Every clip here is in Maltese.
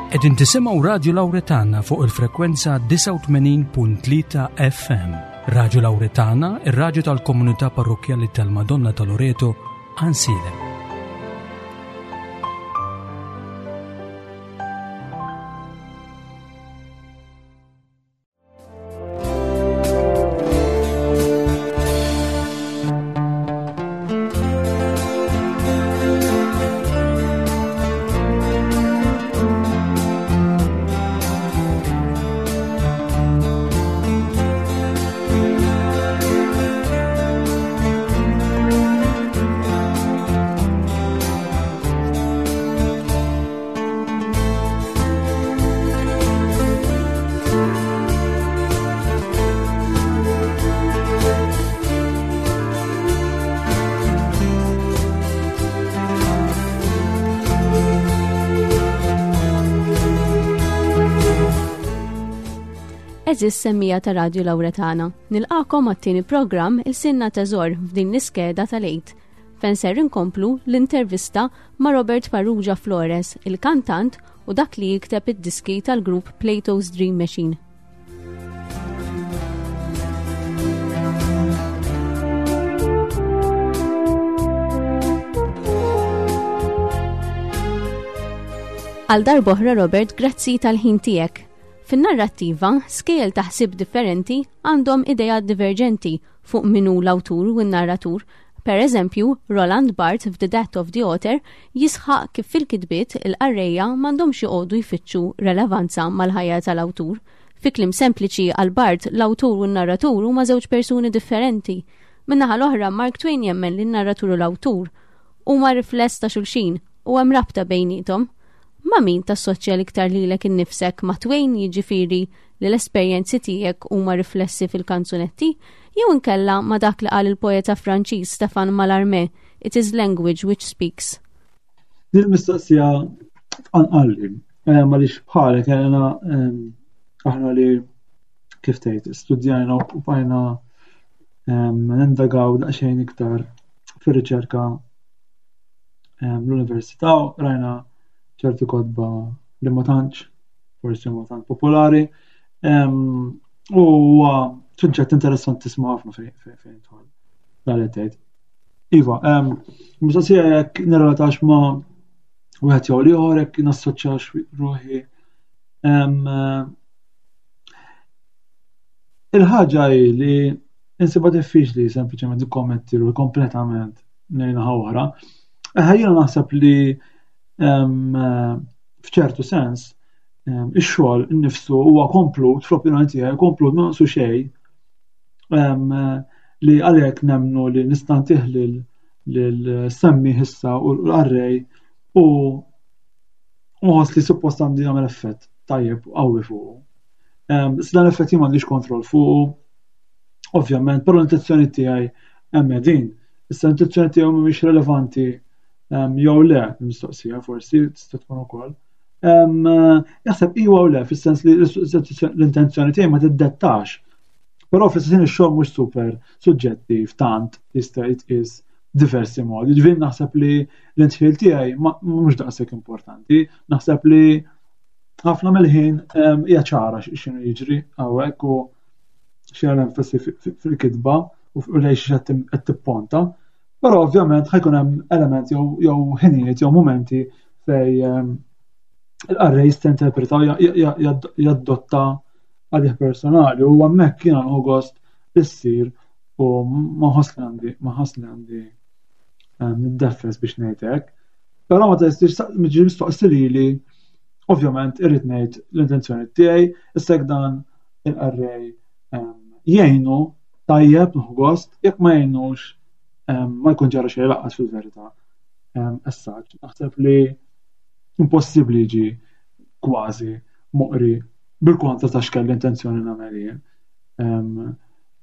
Qegħdin tisimgħu Radju Lawretana fuq il-frekwenza 89.3 FM. Radju Lawretana, ir-radju tal-komunità parrokkjali tal-Madonna ta' Loreto, Ansilem. Eżis semmija ta' Radio Lauretana. Nilqakom għat-tieni programm il-Sinna Teżor f'din l-iskeda tal-Eid. Fejn ser inkomplu l-intervista ma' Robert Farrugia Flores, il-kantant u dak li jikteb id-diski tal-grupp Plato's Dream Machine. Għal darboħra Robert, grazzi tal-ħin tiegħek. Fin-narrattiva, skejjel ta' ħsieb differenti għandhom idejat diverġenti fuq min hu l-awtur u n-narratur. Per eżempju, Roland Barthes f'The Death of the Author jisħaq kif fil-kitbiet il-qarrejja m'għandhomx joqogħdu jfittxu relevanza mal-ħajja tal-awtur. Fi kliem sempliċi għal Barthes l-awtur u n-narratur huma żewġ persuni differenti. Min-naħa l-oħra, Mark Twain jemmen li n-narratur u l-awtur huma rifless ta' xulxin u hemm rabta bejniethom. Ma' min tassoċja l-iktar lilek innifsek ma' Twain jiġifieri li l-esperjenzi tiegħek huma riflessi fil-kanzunetti jew inkella ma' dak li qal il-poeta Franċiż Stéphane Mallarmé, It is language which speaks. Din mistoqsija tqanqalli, eh, għaliex bħalek għena eh, aħna li kif tgħid studjajna u bqajna eh, nindagaw daqsxejn iktar fir-riċerka l-università rajna ċerti kotba li ma tantx forsi ma tant popolari u huwa suġġett interessanti tisma' ħafna fejn fejn tħol dan li tgħid. Iva, mistoqsija jekk nirrelatax ma' wieħed jew l-ieħor jekk nassoċjax ruħi. Il-ħaġa hi li insibha diffiċli sempliċement nikkommetti ruħi kompletament lejn naħa oħra. Jiena naħseb li f'ċertu sens ix-xogħol innifsu huwa komplut fl-opinjoni tiegħi komplut ma naqsu xejn li għalhekk nemmnu li nista' ntih lil semmi issa u l-qarrej u nħoss li suppost għandi jagħmel effett tajjeb qawwi fuqu. Issa dan l-effett jien m'għandix kontroll fuqu, ovvjament, però l-intenzjoni tiegħi hemm din. Issa l-intenzjoni tiegħu mhumiex relevanti jew le, mistoqsija forsi tista' tkun ukoll. Jaħseb iwa u le, fis-sens li l-intenzjoni tiegħi ma tiddettax. Però fl-istess ix-xogħol mhux super suġġettiv tant jista' jitqies diversi modi. Ġifieri naħseb li l-intħil tiegħi mhux daqshekk importanti. Naħseb li ħafna mill-ħin hija ċara x'inhu jiġri hawnhekk u xi l-enfasi fil-kitba u lejn xi qed tipponta. Però ovvjament ħajkun hemm elementi jew ħinijiet jew mumenti fej ehm, il-qarrej jista' interpreta jaddotta għalih personali u hemmhekk jiena nħu gost issir u ma nħoss li għandi ma nħoss li għandi ehm, niddeffes biex ngħid hekk. Però ma tistax mistoqsi lili ovvjament irrid ngħid l-intenzjoni tiegħi, issa dan il-qarrej jgħinu tajjeb nħu gost, jekk ma jgħinux ma jkun ġara xejn laqqas fil-verità. Essaġ, naħseb li impossibbli jiġi kważi moqri bil-kontra ta' x'kelli intenzjoni nagħmel jien.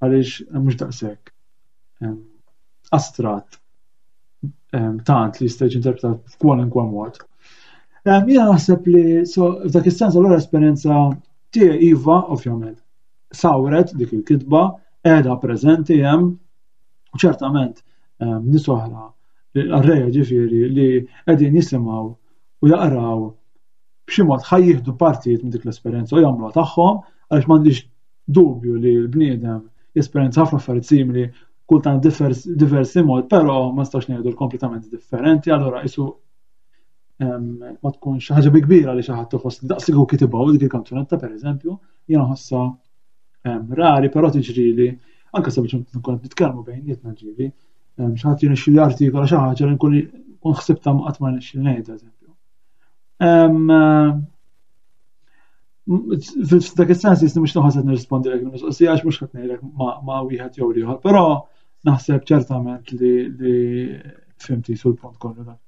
Għaliex mhux daqshekk astratt tant li jista' jiġi interpretat f'kwalunkwe mod. Jiena naħseb li f'dak is-sens allura esperjenza tiegħi iva, ovvjament, sawret dik il-kitba, qiegħda preżenti hemm, u ċertament nies oħra, l-qarrejja ġifieri li qegħdin jisimgħu u jaqraw. b'xi mod ħa jieħdu partijiet minn dik l-esperjenza u jagħmluha tagħhom għaliex m'għandix dubju li l-bniedem jesperjenza ħafna affarijiet simili kultant diversi mod, però ma nistax ngħidu kompletament differenti, allura isu ma tkunx ħaġa bi kbira li xi ħadd iħoss li daqs li kitibha dik il-kanzunetta pereżempju, jiena ħossha rari, però tiġrili anke sabiex nkun qed nitkellmu bejnietna ġieli, xi ħadd jirnexxi li artikola xi ħaġa li nkun ħsibta qatt ma rnexxi ngħidha eżempju. F'dak is-sens jisni mhux naħseb nirrispondi lek mistoqsija għax mhux qed ngħidlek ma' wieħed jew ieħor, però naħseb ċertament li fimti sul punt kollu dak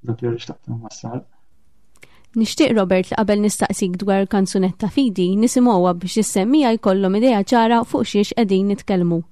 dak li xtaqt nwassal. Nixtieq Robert li qabel nistaqsik dwar kanzunetta fidi nisimgħuha biex is-semmija jkollhom idea ċara fuq xiex qegħdin nitkellmu.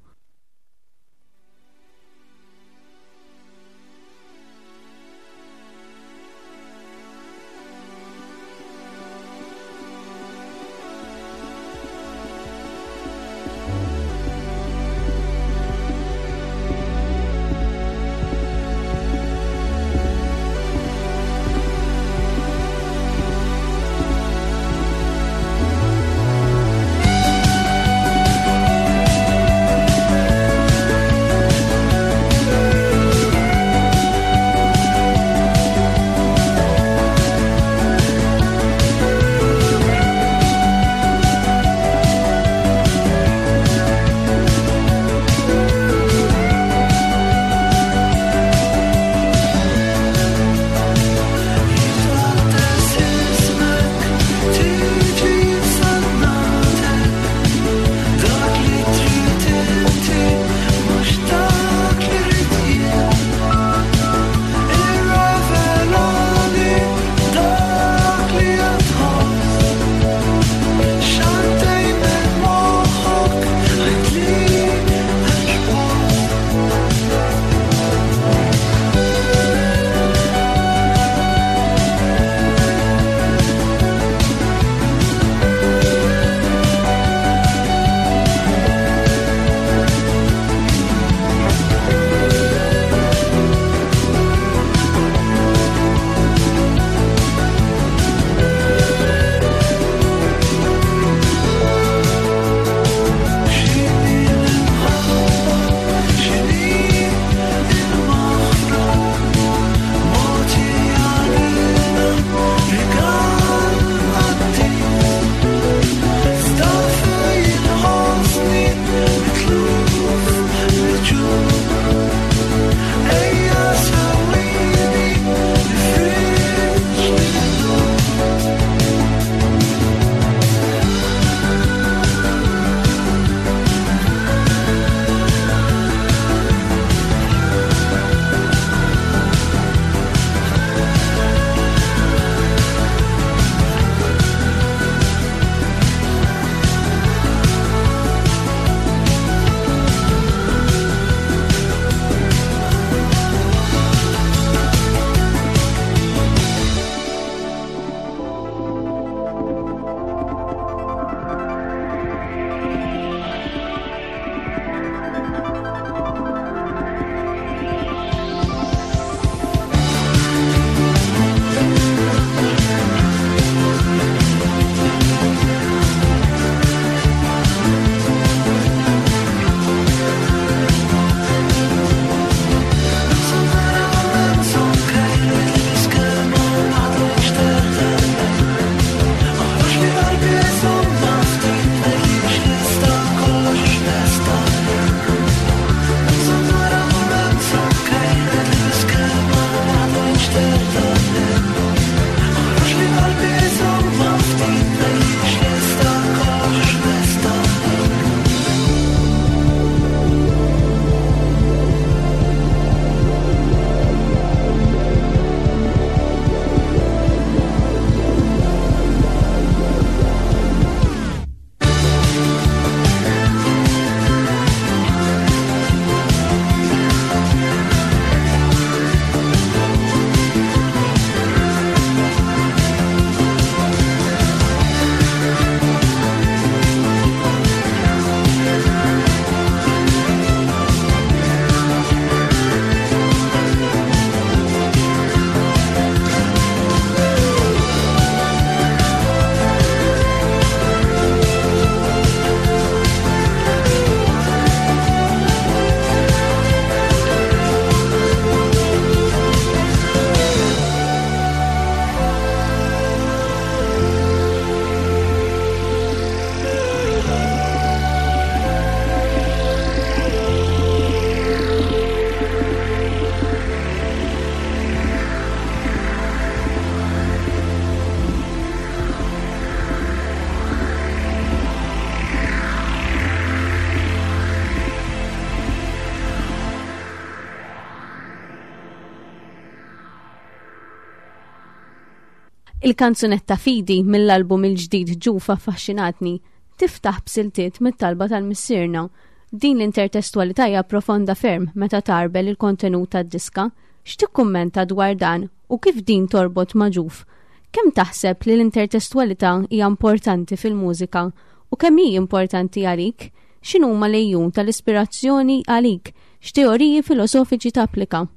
Il-kanzunetta Fidi mill-album il-ġdid Ġuf affaxxinatni tiftaħ b'siltiet mit-talba tal-Missierna. Din l-intertestwalità hija profonda ferm meta tgħarbel il-kontenut tad-diska. X'tikkummenta dwar dan u kif din torbot ma' Ġuf? Kemm taħseb li l-intertestwalità hija importanti fil-mużika u kemm hi importanti għalik? X'inhuma l-għejun tal-ispirazzjoni għalik? X'teoriji filosofiċi tapplika?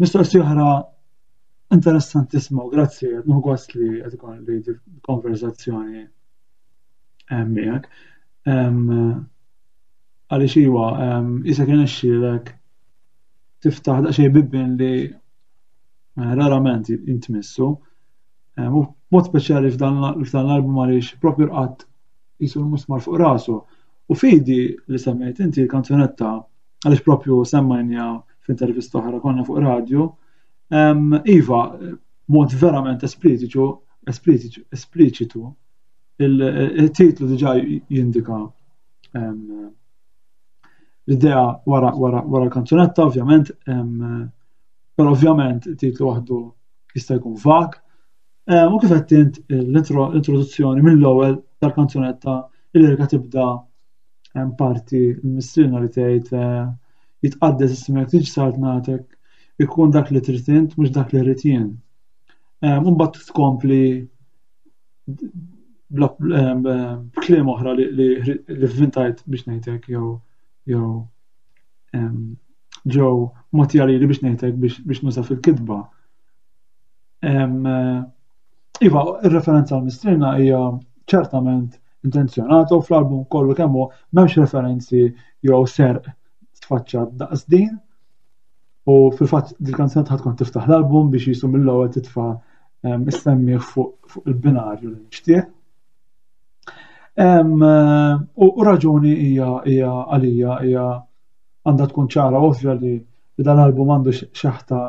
Mistoqsija oħra interessantissima u grazzi qed nieħu gost li qed ikolli konversazzjoni miegħek. Għaliex iwa, isek irnexxielek tiftaħ daqsxejn bibien li eh, rarament jintmissu. U mod speċjali f'dan l-album għaliex propju rqatt jisu l-musmar fuq rasu. U fidi li semmejt inti l-kanzunetta għaliex propju semmajnija f'intervista oħra konna fuq radio. Iva, mod verament espliċitu, espliċitu, il-titlu diġà jindika l-idea wara wara wara l-kanzunetta, ovvjament, però ovvjament it-titlu waħdu jista' jkun vag. U kif qed int l-introduzzjoni mill-ewwel tal-kanzunetta il-lirika tibda hemm parti l-missierna li tgħid eh, jitqaddes ismek tiġi saltnatek ikun dak li trid int mhux dak li rrid jien. Mbagħad tkompli b'kliem oħra li vvintajt biex ngħidlek jew jew ġew mogħtija lili biex ngħidlek biex nuża fil-kitba. Iva, ir-referenza għal Mistrina hija ċertament intenzjonata u fl-album kollu kemm hu m'hemmx referenzi jew serq sfaċċat daqs din. U fil-fatt dil-kanzunetta ħad tkun tiftaħ l-album biex jisu mill-ewwel titfa' is-semmiegħ fuq il-binarju li nixtieq. U raġuni hija hija għalija hija għandha tkun ċara ovvja li dan l-album għandu xeħta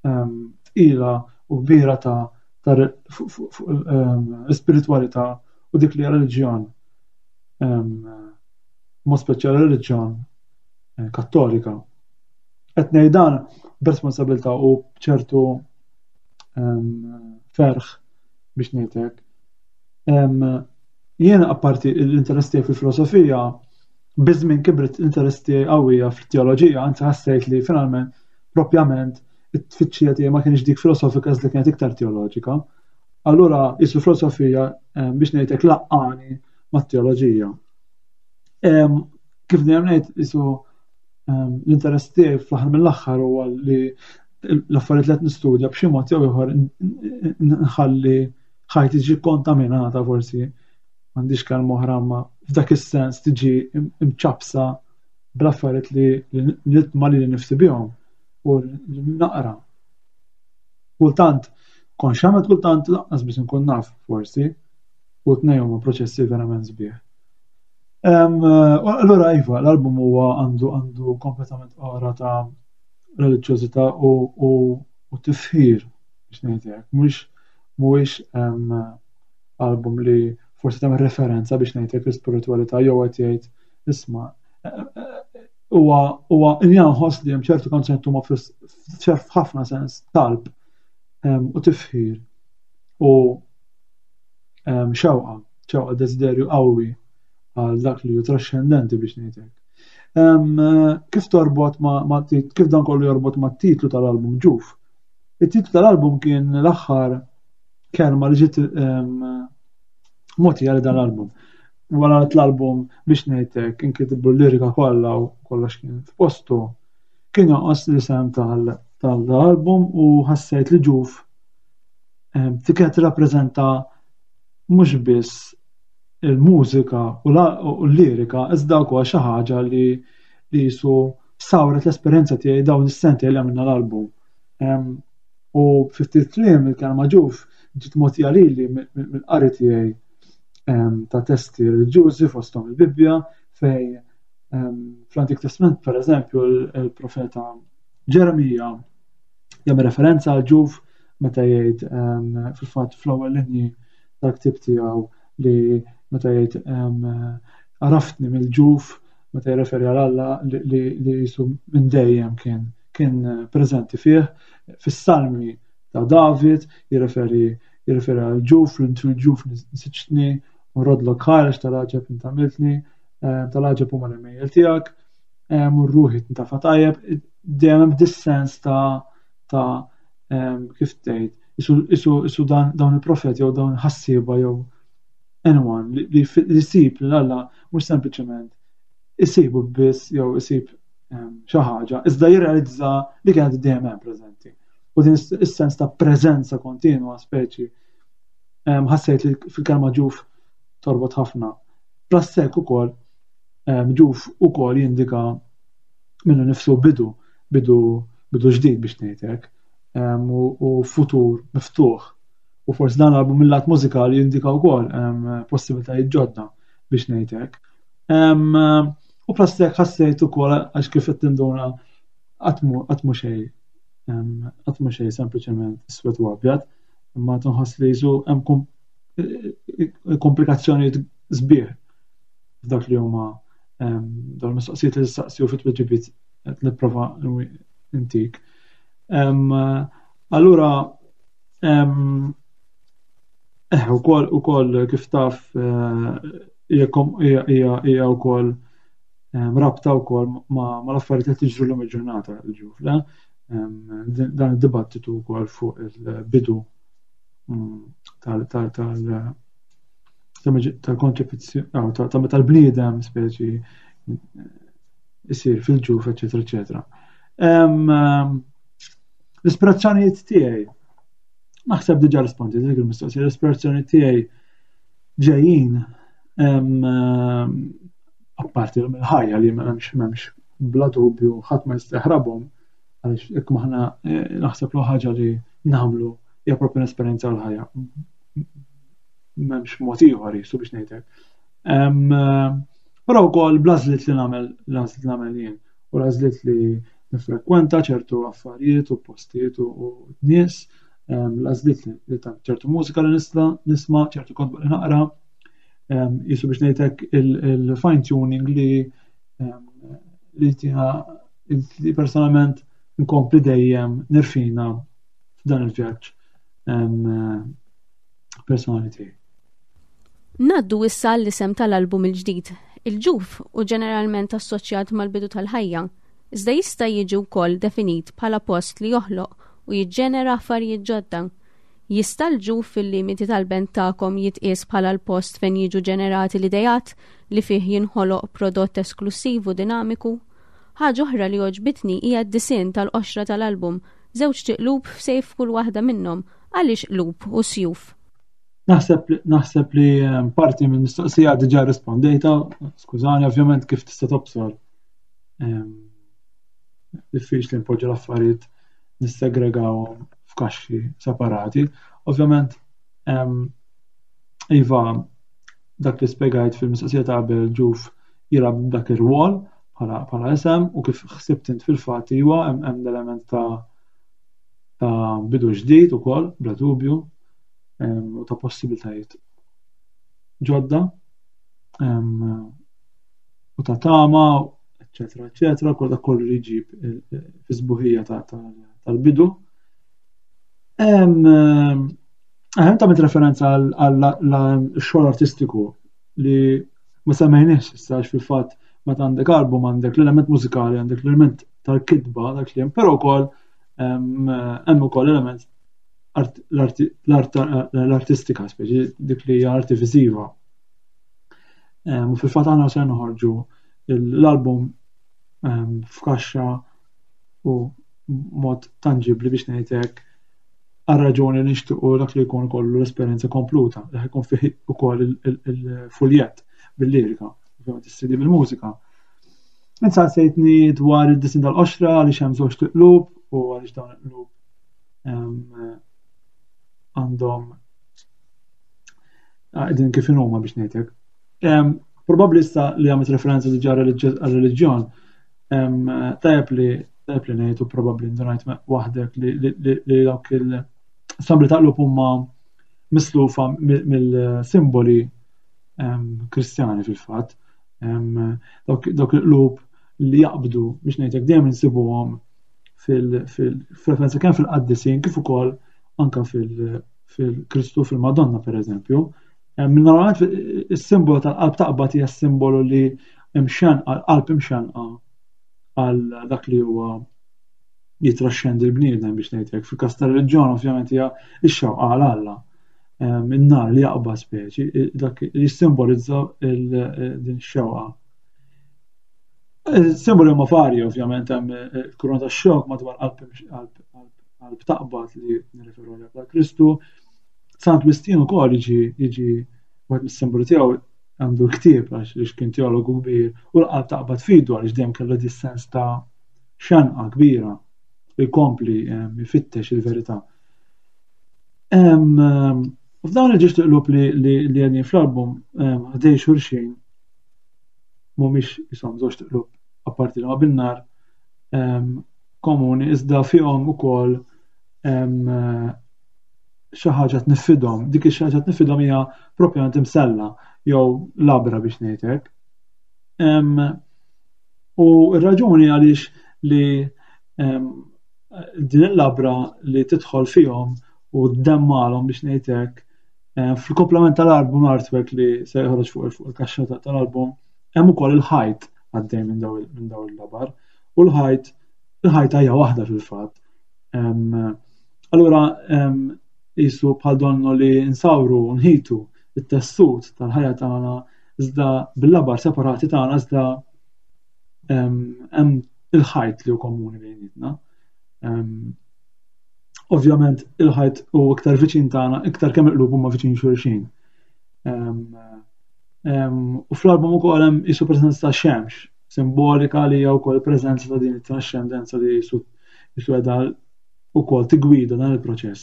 tqila u kbira ta' fuq l-ispiritwalità u dik li reliġjon mod speċjali reliġjon eh, kattolika. Qed ngħid dan b'responsabilità u b'ċertu ferħ biex ngħidlek. Jiena apparti l-interess tiegħi fil-filosofija, biż-żmien kibret l-interess tiegħi qawwija fil-teoloġija, anzi ħassejt li finalment propjament it-tfittxija tiegħi ma kienx dik filosofika iżda kienet iktar teoloġika. Allura jisu filosofija biex ngħidlek laqqani mat-teoloġija. Kif dejjem ngħid jisu l-interess tiegħi fl-aħħar mill-aħħar huwa li l-affarijiet li qed nistudja b'xi mod jew ieħor nħalli ħajti tiġi kontaminata forsi m'għandix kelma oħra ma f'dak is-sens tiġi imċapsa bl-affarijiet li nitma li nifsi bihom u naqra. Kultant konxament kultant lanqas biex inkun naf forsi u tnejn huma proċessi verament sbieħ. Allura iva, l-album huwa għandu għandu kompletament ora ta' reliġjożità u, u, u tifħir biex ngħid hekk. Mhux mhuwiex album li forsi tagħmel referenza biex ngħid hekk l-ispiritwalità jew qed jgħid isma' huwa huwa nħoss li hemm ċertu kanzunett huma f'ħafna sens talb u tifħir u xewqa, xewqa desiderju qawwi għal dak li hu trascendenti biex ngħid hekk. Kif torbot ma' kif dan kollu jorbot ma' titlu tal-album ġuf? It-titlu tal-album kien l-aħħar kelma li ġiet mogħtija li dan l-album. Wara l-album biex ngħidlek inkitbu l-lirika kollha u kollox kien f'postu. Kien jonqos l-isem tal-album u ħassejt li ġuf kienet tirrappreżenta mhux biss il-mużika u l-lirika iżda wkoll xi ħaġa li li jisu sawret l-esperjenza tiegħi dawn is-sentejn li għamilna l-album. U fi ftit kliem il-kelma ġuf ġiet mogħtija lili mill-qari tiegħi ta' testi reliġjużi fosthom il-Bibbja fej fl-Antik Testament pereżempju il-profeta Ġeremija jagħmel referenza għal ġuf meta jgħid fil-fatt fl-ewwel linji tal-ktieb tiegħu li meta jgħid għaraftni mill-ġuf meta jirreferi għal Alla li jisu minn dejjem kien kien preżenti fih, fis-salmi ta' David jirreferi jirreferi għal ġuf, fil-ġuf nsiġtni, u rodlok ħareġ tal-għaġeb int għamiltni, eh, tal-għaġeb huma l-imejjel tiegħek, eh, u ruħi tintafa tajjeb, dejjem hemm dis-sens ta' ta' eh, kif tgħid, isu dawn il-profeti jew dawn ħassieba jew anyone li jsib lil Alla mhux sempliċement isibu biss jew isib xi ħaġa, iżda jirrealizza li kienet dejjem hemm preżenti. U din is-sens ta' preżenza kontinwa speċi ħassejt li fil-kelma ġuf torbot ħafna. Plus hekk ukoll ġuf ukoll jindika minnu nifsu bidu, bidu bidu ġdid biex ngħid hekk, u futur miftuħ. U forsi dan l-album mill-lat mużikali jindika wkoll possibilitajiet ġodda biex ngħid hekk. U plus hekk ħassejt ukoll għax kif qed tinduna qatt mhu xejn qatt mhu xejn sempliċement iswed u abjad, imma tinħoss li jisu hemm komplikazzjonijiet sbieħ f'dak li huma dawn mistoqsijiet li tistaqsi u fit-tweġibiet qed nipprova intik. Allura eh, ukoll ukoll kif taf eh, hija wkoll rabta wkoll ma' l-affarijiet li tiġru l-lum il-ġurnata l-ġuf, le? Dan id-dibattitu wkoll fuq il-bidu mm, tal-konċepizzjoni ta' meta l-bniedem speċi isir fil-ġuf, eċetera, eċetera. L-ispirazzjonijiet tiegħi naħseb diġà rispondi dik il-mistoqsija, l-ispirazzjoni tiegħi ġejjin apparti mill-ħajja li m'hemmx m'hemmx bla dubju ħadd ma jista' jaħrabhom għaliex jekk maħna eh, naħseb l ħaġa li nagħmlu hija proprju l-esperjenza l-ħajja. M'hemmx mod ieħor jisu biex ngħidlek. Però wkoll bl-għażliet li nagħmel l-għażliet li nagħmel jien u l-għażliet li nifrekwenta ċertu affarijiet u postijiet u nies, l-għażliet li ta' ċertu mużika li nisla nisma', ċertu kotba li naqra, jisu biex ngħidlek il-fine tuning li li tina li personalment nkompli dejjem nirfina f'dan il-vjaġġ personali tiegħi. Ngħaddu issa għall-isem tal-album il-ġdid. Il-ġuf hu ġeneralment assoċjat mal-bidu tal-ħajja, iżda jista' jiġi wkoll definit bħala post li joħloq u jiġġenera affarijiet ġodda. Jista' l-ġuf fil-limiti tal-band tagħkom jitqies bħala l-post fejn jiġu ġenerati l-ideat li fih jinħoloq prodott esklussiv u dinamiku? Ħaġa oħra li għoġbitni hija d-disinn tal-qoxra tal-album, żewġt iqlub f'sejf f'kull waħda minnhom. Għaliex qlub u sjuf? Naħseb naħseb li ehm, parti minn mistoqsija diġà rispondejta, skużani, ovvjament kif tista' tobsor. Ehm, diffiċli npoġġu l-affarijiet nissegregawhom f'kaxxi separati. Ovvjament, ehm, iva, dak li spjegajt fil-mistoqsija ta' qabel ġuf jilgħab dak ir-rwol bħala isem u kif ħsibt int fil-fatt iwa hemm l-element ta' ta' bidu ġdid ukoll bla dubju u ta' possibiltajiet ġodda u ta' tama, eccetera, eccetera, kol dak kollu li jġib fi sbuħija tal-bidu. Hemm ta' referenza għal xogħol artistiku li ma semmejniex issa għax fil-fatt meta għandek album għandek l-element mużikali, għandek l-element tal-kitba, dak li hemm, però wkoll hemm ukoll element l-artistika, speċi dik li hija arti viżiva. U fil-fatt aħna se noħorġu l-album f'kaxxa u mod tangibli biex ngħid hekk għar-raġuni li nixtiequ dak li jkun kollu l-esperjenza kompluta, li jkun fih ukoll il-fuljett bil-lirika, ovvjament is-CD bil-mużika. Insa sejtni dwar id-disin tal-qoxra għaliex hemm żewġ tiqlub u għaliex dawn il-qlub għandhom qegħdin kif huma biex ngħidlek. Probabbli issa li għamilt referenza diġà għal-reliġjon, tajjeb li tajjeb li ngħid u probabbli ndunajt waħdek li dawk il-sambli ta' qlub huma mislufa mill-simboli Kristjani fil-fatt. Dawk il-qlub li jaqbdu biex ngħidlek dejjem insibuhom fil-referenza kemm fil-qaddisin kif ukoll anka fil-Kristu fil-Madonna pereżempju. Normalment is-simbolu tal-qalb taqbad hija simbolu li imxanqa, qalb imxanqa għal dak li huwa jitraxxendi l-bniedem biex ngħid hekk. Fil-każ tar-reliġjon ovvjament hija x-xewqa għal Alla. In-nar li jaqbad speċi, dak li jissimbolizza din ix-xewqa. Simboli huma varji ovvjament hemm il-kuruna tax-xewk madwar qalb taqbad li nirreferu għaliha bħala Kristu. Sant Wistin ukoll jiġi jiġi wieħed mis-simboli tiegħu għandu l-ktieb għax li kien teologu kbir u l-qalb taqbad fidu għaliex dejjem kellu di sens ta' xanqa kbira li jkompli jfittex il-verità. F'dawn il-ġiex tiqlub li li għedin fl-album ħdej xulxin mhumiex jisom żewġ tiqlub apparti li ma bin-nar komuni iżda fihom ukoll xi ħaġa tniffidhom. Dik ix ħaġa tniffidhom hija propjament imsella jew labra biex ngħid hekk. U r-raġuni għaliex li din il-labra li tidħol fihom u ddemmalhom biex ngħid hekk fil-komplement tal-album artwork li se joħroġ fuq il-kaxxa tal-album hemm ukoll il-ħajt għaddej minn daw il-labar u l-ħajt il-ħajta hija waħda fil-fatt. Allura jisu bħal donnu li nsawru nħitu it-tessut tal-ħajja tagħna iżda bil-labar separati tagħna iżda hemm il-ħajt li hu komuni bejnietna. Ovvjament il-ħajt hu iktar viċin tagħna, iktar kemm il-qlub huma viċin xulxin. U fl-album ukoll hemm jisu preżenza ta' xemx, simbolika li hija wkoll preżenza ta' din it-trascendenza li jisu jisu qiegħda wkoll tigwida dan il-proċess.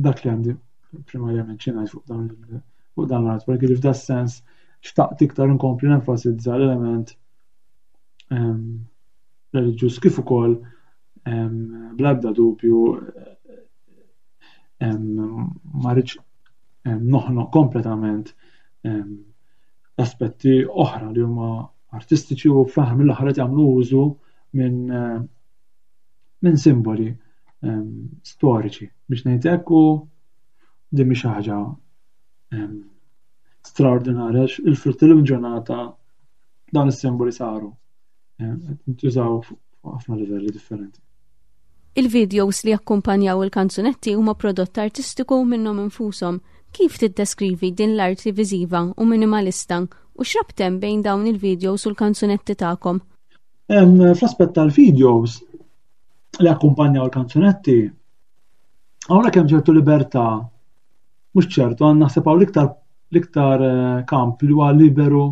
Dak li għandi primarjament xi ngħid fuq dan fuq dan l-artwork, li f'da sens xtaqt iktar nkompli nenfasizza l-element reliġjuż kif ukoll bl-ebda dubju ma rridx noħnoq kompletament aspetti oħra li huma artistiċi u fl-aħħar mill-aħħar qed jagħmlu użu minn minn simboli storiċi biex ngħid hekk u din mhix xi ħaġa straordinarja il-frott il-ġurnata dawn is-simboli saru ntużaw fuq ħafna livelli differenti. Il-videos li jakkumpanjaw il-kanzunetti huma prodott artistiku minnhom infushom. Kif tiddeskrivi din l-arti viżiva u minimalista u x'rabt hemm bejn dawn il-videos u l-kanzunetti tagħkom? Fl-aspett tal-videos li akkumpanjaw il-kanzunetti, hawnhekk hemm ċertu libertà, mhux ċertu, għan naħseb hawn l-iktar l-iktar eh, kamp li huwa liberu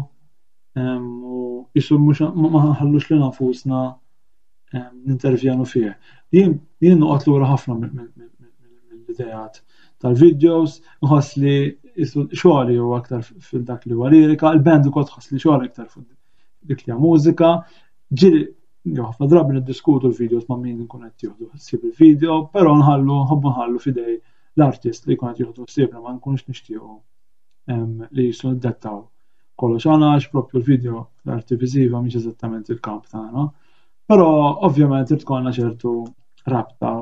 u jisu mhux ma nħallux li nafusna nintervjenu fih. Jien jien noqgħod lura ħafna mill-idejat tal-videos, nħoss li xogħli huwa aktar fil-dak li huwa lirika, il-band ukoll tħoss li xogħli aktar fuq dik li mużika. Ġieli ħafna drabi niddiskutu l-videos ma' min nkun qed jieħdu ħsieb il-video, però nħallu nħobbu nħallu f'idej l-artist li jkun qed jieħdu ħsiebna ma nkunux nixtiequ li jisu niddettaw kollox għana għax propju l-video l-arti viżiva mhix eżattament il-kamp tagħna. Però ovvjament irid tkollna ċertu rabta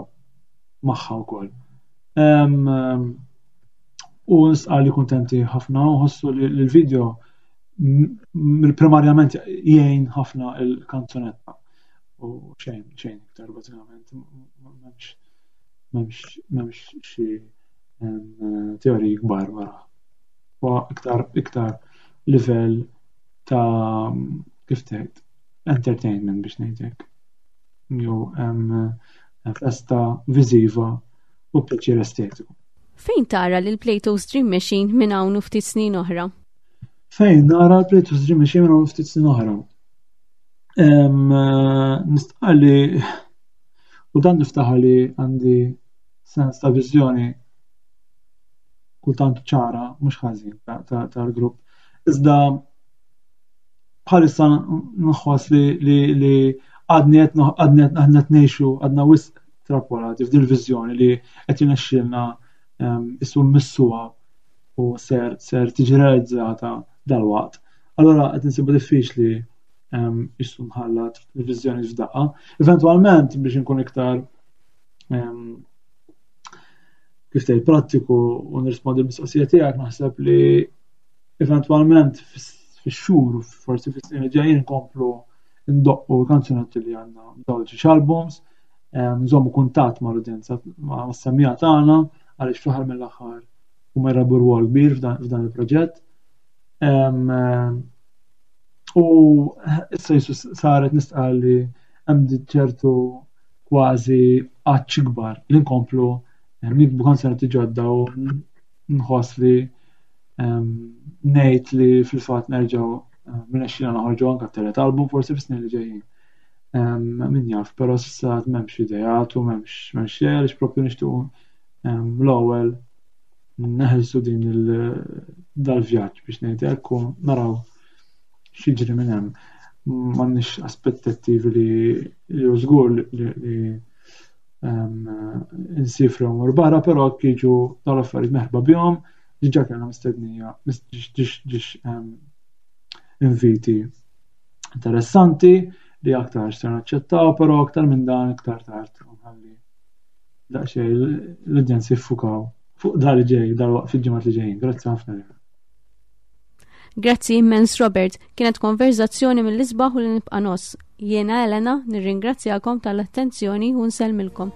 magħha wkoll. U nsqar li kuntenti ħafna u ħossu li l-video primarjament jgħin ħafna il-kanzunetta u xejn xejn iktar bażikament m'hemmx m'hemmx xi teoriji kbar wara. Huwa iktar iktar livell ta' kif tgħid entertainment biex ngħidlek. Jew festa viżiva u pjaċir estetiku. Fejn tara lil Plato's Dream Machine minn hawn u ftit snin oħra? Fejn nara l-Plato's Dream Machine minn hawn u ftit snin oħra? Nistqar li u dan niftaħar li għandi sens ta' viżjoni kultant ċara, mhux ħażin tal-grupp. Iżda bħalissa nħoss li li għadni qed għadni qed ngħixu għadna wisq trappolati f'din il-viżjoni li qed jirnexxielna ehm, issu mmissuha u ser ser tiġi realizzata dalwaqt. Allura qed insibu diffiċli. Issu nħallat il-viżjoni f'daqqa. Eventwalment biex inkun iktar kif tgħid prattiku u nirrispondi l-mistoqsija tiegħek naħseb li eventwalment fix-xhur forsi fis-snin li ġejjin nkomplu ndoqqu kanzunetti li għandna dawn xi albums, nżommu kuntatt mal-udjenza ma' semmija tagħna għaliex fl-aħħar mill-aħħar huma jrabu rwol kbir f'dan il-proġett. U issa jisu saret nistqar li hemm ċertu kważi għatx ikbar li nkomplu nikbu kanzunetti ġodda u nħoss li ngħid li fil-fatt nerġgħu rnexxielna noħorġu anke t-tielet album forsi fis-snin li ġejjin. Min jaf, però s'issa m'hemmx ideat u m'hemmx m'hemmx xejn għaliex proprju nixtiequ l-ewwel neħilsu din dal-vjaġġ biex ngħid hekk u naraw x'jiġri minn hemm. M'għandniex aspettattivi li li hu żgur li nsifru mmur barra, però jiġu dawn l-affarijiet meħba bihom, diġà kellna mistednija, ġiex inviti interessanti li aktar ser naċċettaw, però aktar minn dan iktar tard nħalli daqsxejn l-udjenzi jiffukaw fuq dar li ġej, dal-waqt fil-ġimgħat li ġejjin. Grazzi ħafna. Grazzi immens Robert, kienet konverzazzjoni mill-isbaħ u li nibqa' nos. Jiena Elena nirringrazzjakom tal-attenzjoni u nsellmilkom.